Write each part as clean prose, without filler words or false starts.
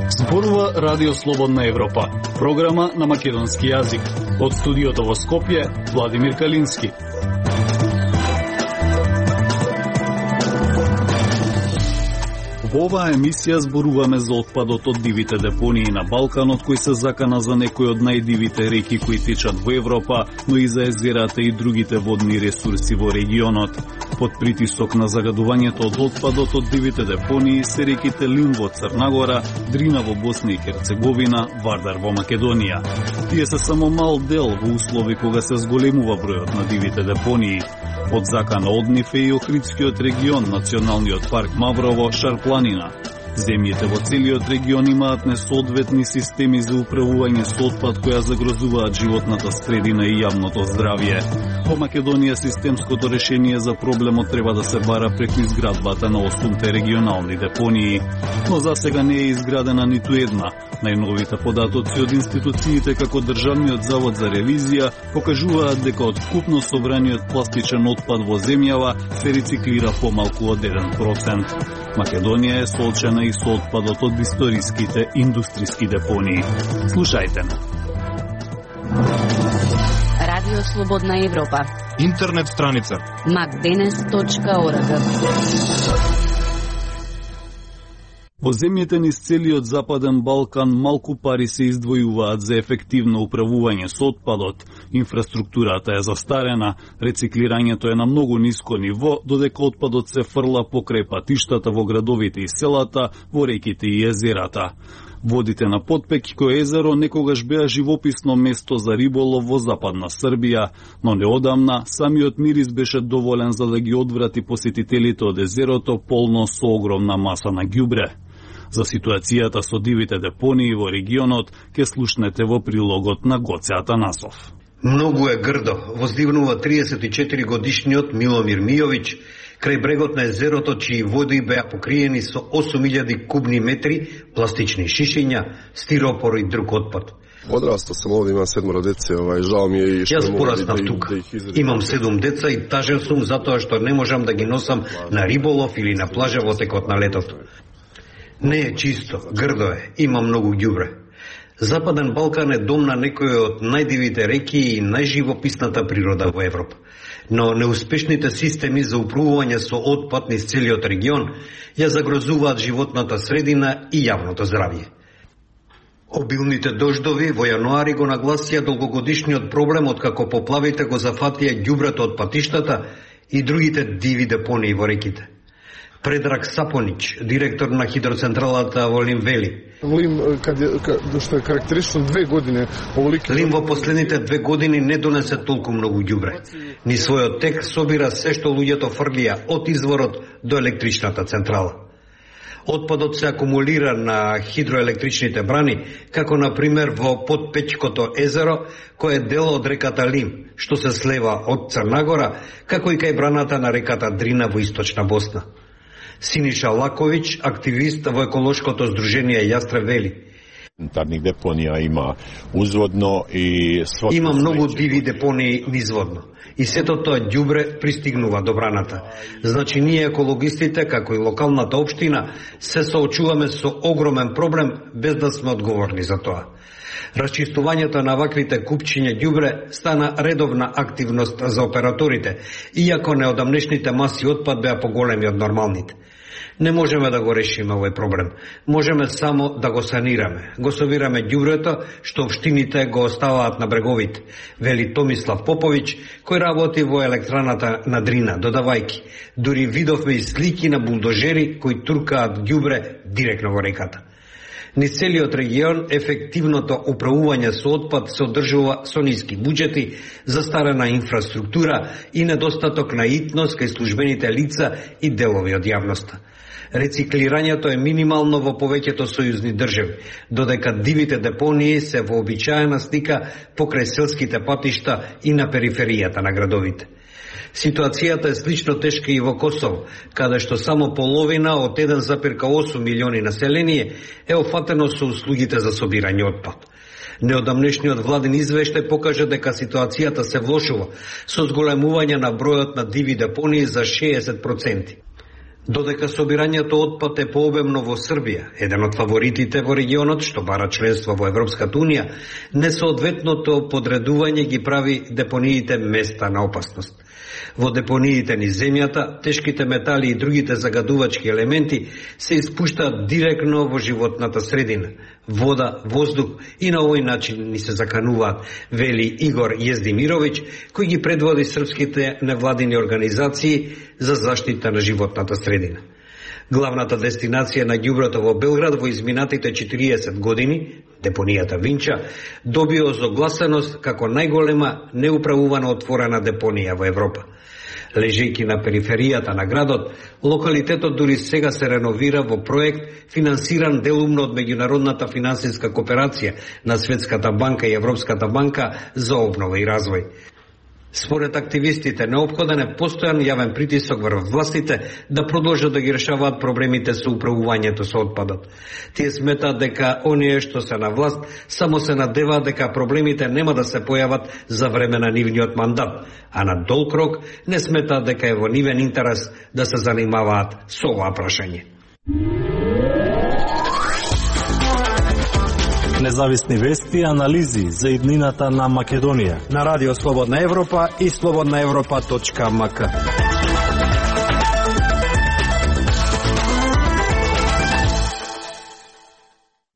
Зборува Радио Слободна Европа, програма на македонски јазик. Од студиото во Скопје, Владимир Калински. Во оваа емисија зборуваме за отпадот од дивите депонии на Балканот, кој се закана за некои од најдивите реки кои течат во Европа, но и за езерата и другите водни ресурси во регионот. Под притисок на загадувањето од отпадот од дивите депонии се реките Лим во Црнагора, Дрина во Босна и Херцеговина, Вардар во Македонија. Тие се само мал дел во услови кога се зголемува бројот на дивите депонии. Под закана од нив е и Охридскиот регион, Националниот парк Маврово, Шарпланина. Земјите во целиот регион имаат несоодветни системи за управување со отпад која загрозуваат животната средина и јавното здравје. Во Македонија системското решение за проблемот треба да се бара преку изградбата на 8 регионални депонии, но засега не е изградена ниту една. Најновите податоци од институциите како Државниот завод за ревизија покажуваат дека од вкупно собраниот пластичен отпад во земјава се рециклира помалку од 1%. Македонија е соочена и со отпадот од историските индустријски депонии. Слушајте на Радио Слободна Европа. Интернет страница macdenes.org. Во земјите низ целиот Западен Балкан малку пари се издвојуваат за ефективно управување со отпадот. Инфраструктурата е застарена, рециклирањето е на многу ниско ниво, додека отпадот се фрла покрај патиштата во градовите и селата, во реките и езерата. Водите на Потпекико езеро некогаш беа живописно место за риболов во Западна Србија, но неодамна самиот мирис беше доволен за да ги одврати посетителите од езерото полно со огромна маса на ѓубре. За ситуацијата со дивите депонии во регионот ке слушнете во прилогот на Гоце Атанасов. Многу е грдо, воздивнува 34 годишниот Миломир Мијовиќ крај брегот на езерото, чии води беа покриени со 8000 кубни метри пластични шишиња, стиропор и друг отпад. Одраста сам овде, имам 7 деце, жал ми е и што Јас пораснав тука. Имам 7 деца и тажен сум затоа што не можам да ги носам на риболов или на плажа во текот на летото. Не е чисто, грдо е, има многу ѓубре. Западен Балкан е дом на некои од најдивите реки и најживописната природа во Европа. Но неуспешните системи за управување со отпад низ целиот регион ја загрозуваат животната средина и јавното здравје. Обилните дождови во јануари го нагласија долгогодишниот проблем откако поплавите го зафатија ѓубрето од патиштата и другите диви депонии во реките. Предраг Сапонич, директор на хидроцентралата во Лим вели: Лим, што е карактеристично 2 години, Лим во последните 2 години не донесе толку многу ѓубре. Ни својот тек собира се што луѓето фрлија од изворот до електричната централа. Отпадот се акумулира на хидроелектричните брани, како на пример во Потпечкото езеро, кој е дел од реката Лим, што се слева од Црнагора, како и кај браната на реката Дрина во источна Босна. Синиша Лаковиќ, активист во еколошкото здружение Јастреб вели: Тарних депонија има узводно и има многу диви депонии низводно. И сето тоа ѓубре пристигнува до браната. Значи ние екологистите, како и локалната општина, се соочуваме со огромен проблем без да сме одговорни за тоа. Расчистувањето на ваквите купчиња ѓубре стана редовна активност за операторите, иако неодамнешните маси отпад беа поголеми од нормалните. Не можеме да го решиме овој проблем. Можеме само да го санираме. Го собираме ѓубрето што општините го оставаат на бреговите, вели Томислав Поповиќ, кој работи во електраната на Дрина, додавајки: дури видовме и слики на булдожери кои туркаат ѓубре директно во реката. Низ целиот регион ефективното управување со отпад се одржува со ниски буџети, застарена инфраструктура и недостаток на итност кај службените лица и делови од јавноста. Рециклирањето е минимално во повеќето сојузни држави, додека дивите депонии се вообичаена слика покрај селските патишта и на периферијата на градовите. Ситуацијата е слично тешка и во Косово, каде што само половина од 1,8 милиони население е офатено со услугите за собирање отпад. Неодамнешниот владин извештај покажа дека ситуацијата се влошува со зголемување на бројот на диви депонии за 60%. Додека собирањето отпад е пообемно во Србија, еден од фаворитите во регионот што бара членство во Европската унија, несоодветното подредување ги прави депониите места на опасност. Во депониите низ земјата, тешките метали и другите загадувачки елементи се испуштаат директно во животната средина, вода, воздух и на овој начин ни се закануваат, вели Игор Јездимировиќ, кој ги предводи српските невладини организации за заштита на животната средина. Главната дестинација на ѓубрето во Белград во изминатите 40 години, депонијата Винча, добија озогласеност како најголема неуправувана отворена депонија во Европа. Лежејќи на периферијата на градот, локалитетот дури сега се реновира во проект финансиран делумно од меѓународната финансиска кооперација на Светската банка и Европската банка за обнова и развој. Според активистите, неопходен е постојан јавен притисок врз властите да продолжат да ги решаваат проблемите со управувањето со отпадот. Тие сметаат дека оние што се на власт само се надеваат дека проблемите нема да се појават за време на нивниот мандат, а на долг рок не сметаат дека е во нивен интерес да се занимаваат со ова прашање. Независни вести и анализи за иднината на Македонија на Радио Слободна Европа и slobodnaevropa.mk.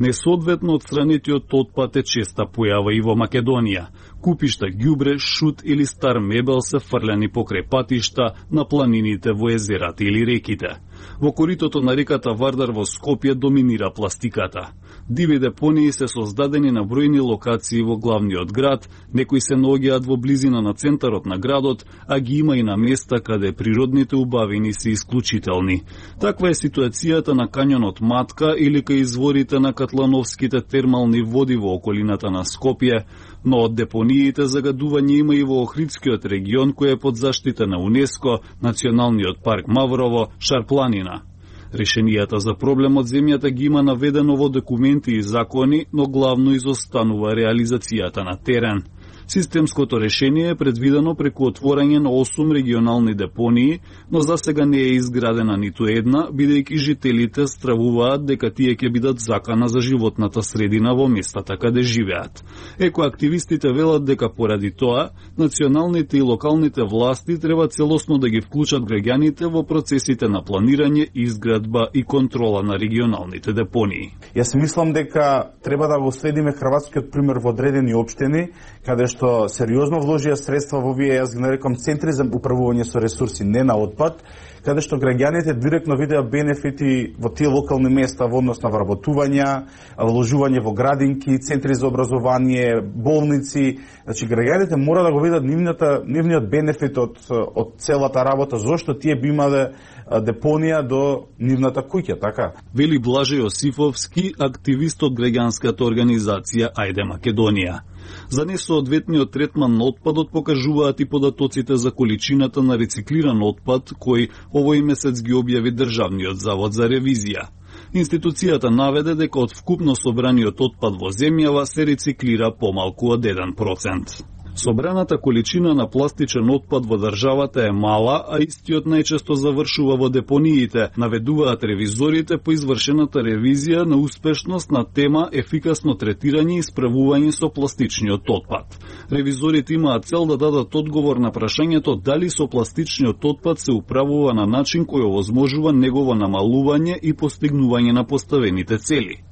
Несоодветно отстранетиот отпад е честа појава и во Македонија. Купишта ѓубре, шут или стар мебел се фрлени покрај патишта на планините во езерата или реките. Во коритото на реката Вардар во Скопје доминира пластиката. Диви депонии се создадени на бројни локации во главниот град, некои се наоѓаат во близина на центарот на градот, а ги има и на места каде природните убавини се исклучителни. Таква е ситуацијата на кањонот Матка или кај изворите на Катлановските термални води во околината на Скопје, но од депониите загадување има и во Охридскиот регион кој е под заштита на УНЕСКО, Националниот парк Маврово, Шарпланина. Решенијата за проблемот земјата ги има наведено во документи и закони, но главно изостанува реализацијата на терен. Системското решение е предвидено преку отворање на 8 регионални депонии, но за сега не е изградена ниту една, бидејќи жителите стравуваат дека тие ќе бидат закана за животната средина во местата каде живеат. Екоактивистите велат дека поради тоа, националните и локалните власти треба целосно да ги вклучат граѓаните во процесите на планирање, изградба и контрола на регионалните депонии. Јас мислам дека треба да го следиме хрватскиот пример во одредени општини, каде што сериозно вложија средства во овие, јас ги нарекам, центри за управување со ресурси, не на отпад, каде што граѓаните директно видеа бенефити во тие локални места во однос на вработување, вложување во градинки, центри за образование, болници. Значи, граѓаните мора да го видат нивниот бенефит од целата работа, зошто тие би имале депонија до нивната куќа, така? Вели Блаже Јосифовски, активист од граѓанската организација Ајде Македонија. За несоодветниот третман на отпадот покажуваат и податоците за количината на рециклиран отпад кој овој месец ги објави Државниот завод за ревизија. Институцијата наведе дека од вкупно собраниот отпад во земјава се рециклира помалку од 1%. Собраната количина на пластичен отпад во државата е мала, а истиот најчесто завршува во депониите, наведуваат ревизорите по извршената ревизија на успешност на тема ефикасно третирање и справување со пластичниот отпад. Ревизорите имаат цел да дадат одговор на прашањето дали со пластичниот отпад се управува на начин кој овозможува негово намалување и постигнување на поставените цели.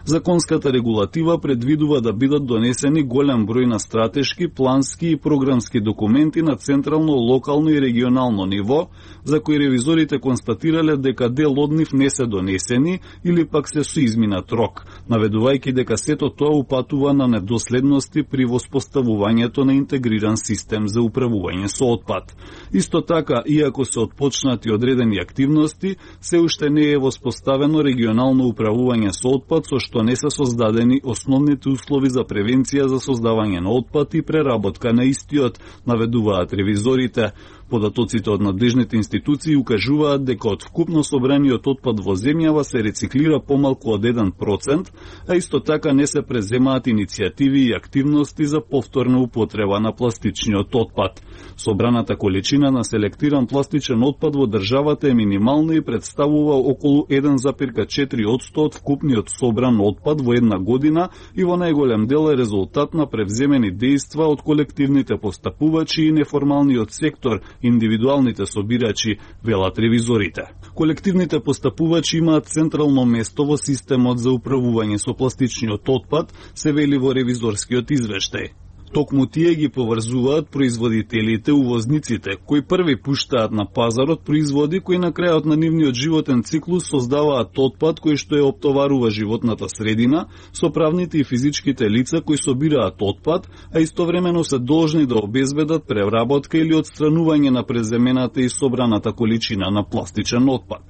Законската регулатива предвидува да бидат донесени голем број на стратешки, плански и програмски документи на централно, локално и регионално ниво, за кои ревизорите констатирале дека дел од нив не се донесени или пак се со изминат рок, наведувајќи дека сето тоа упатува на недоследности при воспоставувањето на интегриран систем за управување со отпад. Исто така, иако се отпочнати одредени активности, се уште не е воспоставено регионално управување со отпад, со што не се создадени основните услови за превенција за создавање на отпад и преработка на истиот, наведуваат ревизорите. Податоците од надлежните институции укажуваат дека од вкупно собраниот отпад во земјава се рециклира помалку од 1%, а исто така не се преземаат иницијативи и активности за повторна употреба на пластичниот отпад. Собраната количина на селектиран пластичен отпад во државата е минимална и представува околу 1,4% од вкупниот собран отпад во една година и во најголем дел е резултат на превземени дејства од колективните постапувачи и неформалниот сектор, индивидуалните собирачи, велат ревизорите. Колективните постапувачи имаат централно место во системот за управување со пластичниот отпад, се вели во ревизорскиот извештај. Токму тие ги поврзуваат производителите, увозниците, кои први пуштаат на пазарот производи кои на крајот на нивниот животен циклус создаваат отпад кој што ја оптоварува животната средина, со правните и физичките лица кои собираат отпад, а истовремено се должни да обезбедат преработка или отстранување на преземената и собраната количина на пластичен отпад.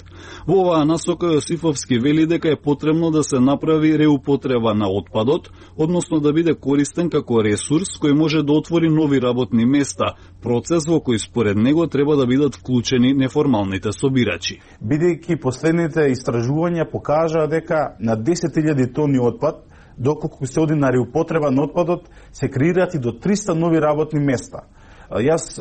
Во оваа насока Јосифовски вели дека е потребно да се направи реупотреба на отпадот, односно да биде користен како ресурс кој може да отвори нови работни места, процес во кој според него треба да бидат вклучени неформалните собирачи. Бидејќи последните истражувања покажаа дека на 10.000 тони отпад, доколку се оди на реупотреба на отпадот, се креираат и до 300 нови работни места. Јас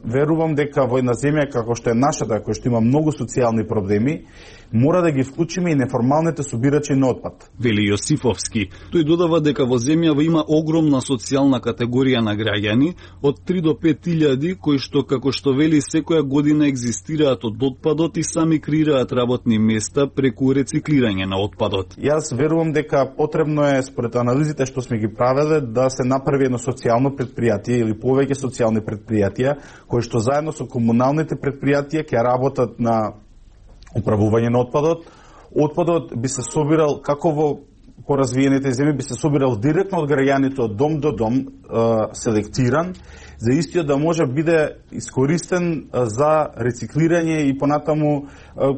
верувам дека во една земја како што е нашата, која што има многу социјални проблеми, мора да ги вклучиме и неформалните собирачи на отпад. Вели Јосифовски. Тој додава дека во земјава има огромна социјална категорија на граѓани, од 3 до 5.000 кои што, како што вели, секоја година екзистираат од отпадот и сами креираат работни места преку рециклирање на отпадот. Јас верувам дека потребно е, според анализите што сме ги правеле, да се направи едно социјално предпријатие или повеќе социјални предпријатија, кои што заедно со комуналните предпријатија ќе работат на управување на отпадот. Отпадот би се собирал, како во поразвиените земји, би се собирал директно од граѓаните од дом до дом, селектиран, за истиот да може биде искористен за рециклирање и понатаму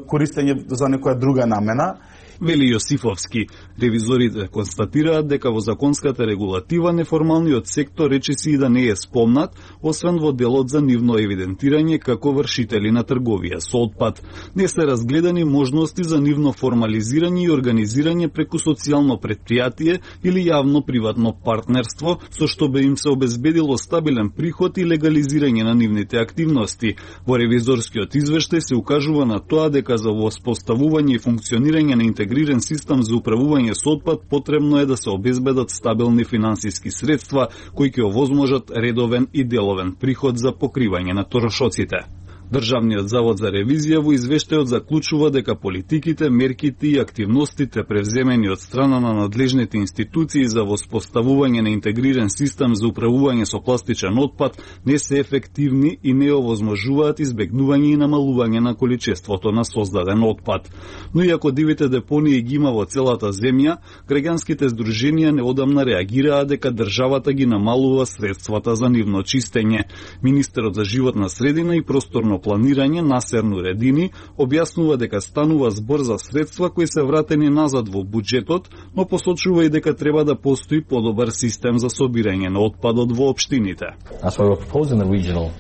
користење за некоја друга намена. Вели Јосифовски. Ревизорите констатираат дека во законската регулатива неформалниот сектор речиси и да не е спомнат, освен во делот за нивно евидентирање како вршители на трговија со отпад. Не се разгледани можности за нивно формализирање и организирање преку социјално предпријатие или јавно-приватно партнерство, со што би им се обезбедило стабилен приход и легализирање на нивните активности. Во ревизорскиот извештај се укажува на тоа дека за воспоставување и функционирање на интегриран систем за управување со отпад потребно е да се обезбедат стабилни финансиски средства кои ќе овозможат редовен и деловен приход за покривање на трошоците. Државниот завод за ревизија во извештајот заклучува дека политиките, мерките и активностите превземени од страна на надлежните институции за воспоставување на интегриран систем за управување со пластичен отпад не се ефективни и не овозможуваат избегнување и намалување на количеството на создаден отпад. Но иако дивите депонии ги има во целата земја, граѓанските здруженија неодамна реагираа дека државата ги намалува средствата за нивно чистење. Министерот за животна средина и просторно планирање Насер Нуредини објаснува дека станува збор за средства кои се вратени назад во буџетот, но посочува и дека треба да постои подобар систем за собирање на отпадот во општините. That's why we're proposing the regional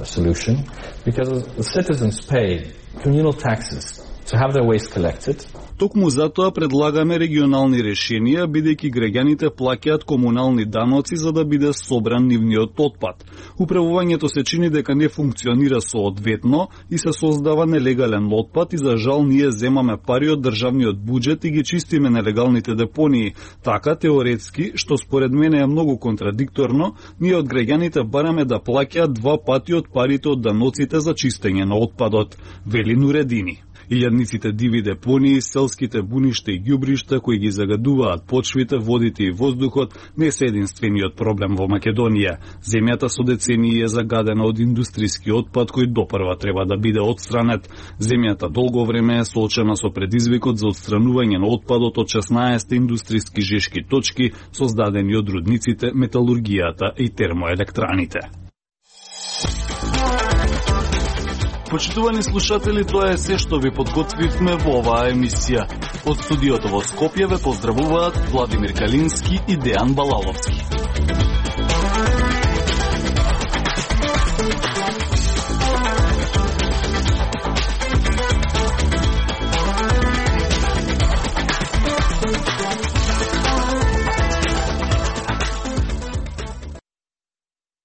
solution, because the citizens pay communal taxes to have their waste collected. Токму затоа предлагаме регионални решенија, бидејќи граѓаните плаќаат комунални даноци за да биде собран нивниот отпад. Управувањето се чини дека не функционира соодветно и се создава нелегален отпад и за жал ние земаме пари од државниот буџет и ги чистиме нелегалните депонии. Така теоретски, што според мене е многу контрадикторно, ние од граѓаните бараме да плаќаат 2 пати од парите од даноците за чистење на отпадот, вели Нуредини. Илјадниците диви депонии, селските буништа и ѓубришта кои ги загадуваат почвите, водите и воздухот не се единствениот проблем во Македонија. Земјата со децении е загадена од индустријски отпад кој допрва треба да биде отстранет. Земјата долго време е соочена со предизвикот за отстранување на отпадот од 16 индустријски жешки точки создадени од рудниците, металургијата и термоелектраните. Почитувани слушатели, тоа е се што ви подготвивме во оваа емисија. Од студиото во Скопје ве поздравуваат Владимир Калински и Дејан Балаловски.